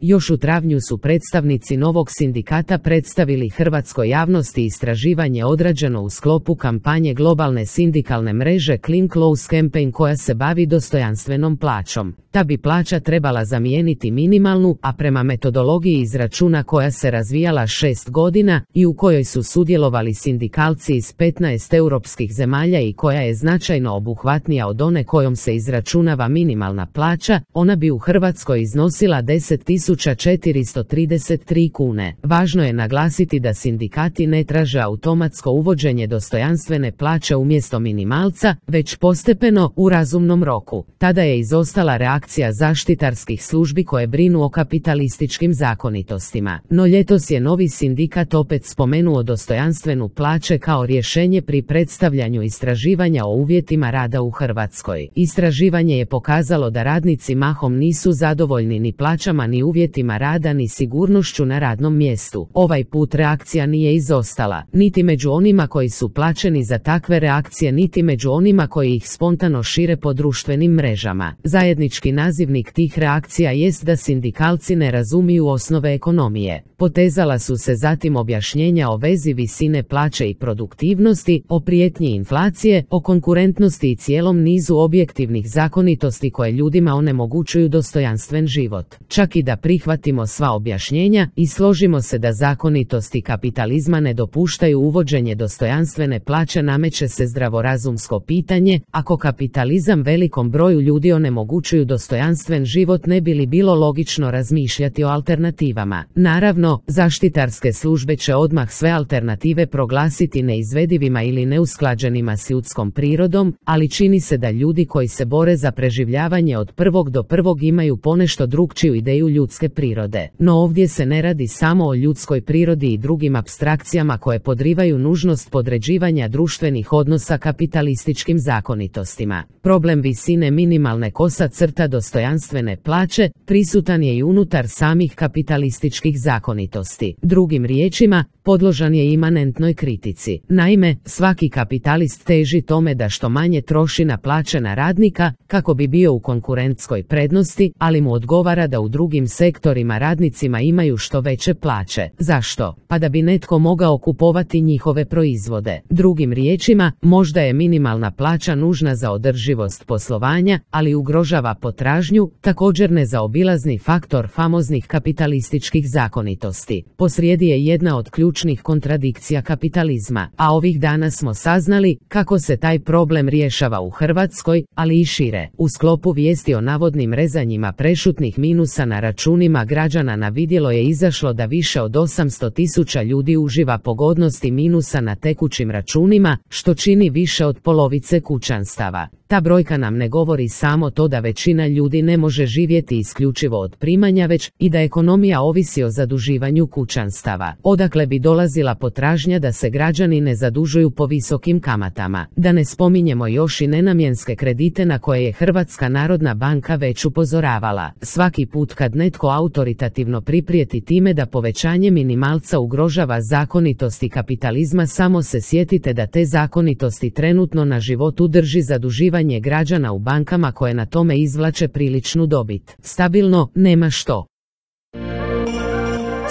Još u travnju su predstavnici novog sindikata predstavili hrvatskoj javnosti istraživanje odrađeno u sklopu kampanje globalne sindikalne mreže Clean Clothes Campaign koja se bavi dostojanstvenom plaćom. Ta bi plaća trebala zamijeniti minimalnu, a prema metodologiji izračuna koja se razvijala 6 godina i u kojoj su sudjelovali sindikalci iz 15 europskih zemalja i koja je značajno obuhvatnija od one kojom se izračunava minimalna plaća, ona bi u Hrvatskoj iznosila 10.433 kune. Važno je naglasiti da sindikati ne traže automatsko uvođenje dostojanstvene plaće umjesto minimalca, već postepeno u razumnom roku. Tada je izostala reakcija zaštitarskih službi koje brinu o kapitalističkim zakonitostima. No ljetos je novi sindikat opet spomenuo dostojanstvenu plaće kao rješenje pri predstavljanju istraživanja o uvjetima rada u Hrvatskoj. Istraživanje je pokazalo da radnici mahom nisu zadovoljni ni plaćama ni uvjetima rada ni sigurnošću na radnom mjestu. Ovaj put reakcija nije izostala, niti među onima koji su plaćeni za takve reakcije niti među onima koji ih spontano šire po društvenim mrežama. Zajednički nazivnik tih reakcija jest da sindikalci ne razumiju osnove ekonomije. Potezala su se zatim objašnjenja o vezi visine plaće i produktivnosti, o prijetnji inflacije, o konkurentnosti i cijelom nizu objektivnih zakonitosti koje ljudima onemogućuju dostojanstven život. Čak i da prihvatimo sva objašnjenja i složimo se da zakonitosti kapitalizma ne dopuštaju uvođenje dostojanstvene plaće, nameće se zdravorazumsko pitanje: ako kapitalizam velikom broju ljudi onemogućuju dostojanstven život, ne bi li bilo logično razmišljati o alternativama? Naravno, zaštitarske službe će odmah sve alternative proglasiti neizvedivima ili neusklađenima s ljudskom prirodom, ali čini se da ljudi koji se bore za preživljavanje od prvog do prvog imaju ponešto drukčiju ideju ljudske prirode. No ovdje se ne radi samo o ljudskoj prirodi i drugim apstrakcijama koje podrivaju nužnost podređivanja društvenih odnosa kapitalističkim zakonitostima. Problem visine minimalne kosa crta dostojanstvene plaće prisutan je i unutar samih kapitalističkih zakonitosti. Drugim riječima, podložan je imanentnoj kritici. Naime, svaki kapitalist teži tome da što manje troši na plaće na radnika kako bi bio u konkurentskoj prednosti, ali mu odgovara da u drugim sektorima radnicima imaju što veće plaće. Zašto? Pa da bi netko mogao kupovati njihove proizvode. Drugim riječima, možda je minimalna plaća nužna za održivost poslovanja, ali ugrožava potražnju, također nezaobilazni faktor famoznih kapitalističkih zakonitosti. Posrijedi je jedna od ključnih kontradikcija kapitalizma, a ovih dana smo saznali kako se taj problem rješava u Hrvatskoj, ali i šire. U sklopu vijesti o navodnim rezanjima prešutnih minusa na računima građana na vidjelo je izašlo da više od 800.000 ljudi uživa pogodnosti minusa na tekućim računima, što čini više od polovice kućanstava. Ta brojka nam ne govori samo to da većina ljudi ne može živjeti isključivo od primanja, već i da ekonomija ovisi o zaduživanju kućanstava. Odakle bi dolazila potražnja da se građani ne zadužuju po visokim kamatama? Da ne spominjemo još i nenamjenske kredite na koje je Hrvatska narodna banka već upozoravala. Svaki put kad netko autoritativno priprijeti time da povećanje minimalca ugrožava zakonitosti kapitalizma, samo se sjetite da te zakonitosti trenutno na životu drži zaduživanje građana u bankama koje na tome izvlače priličnu dobit. Stabilno, nema što.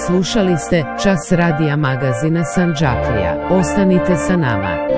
Slušali ste Čas radija magazina Sandžaklija. Ostanite sa nama.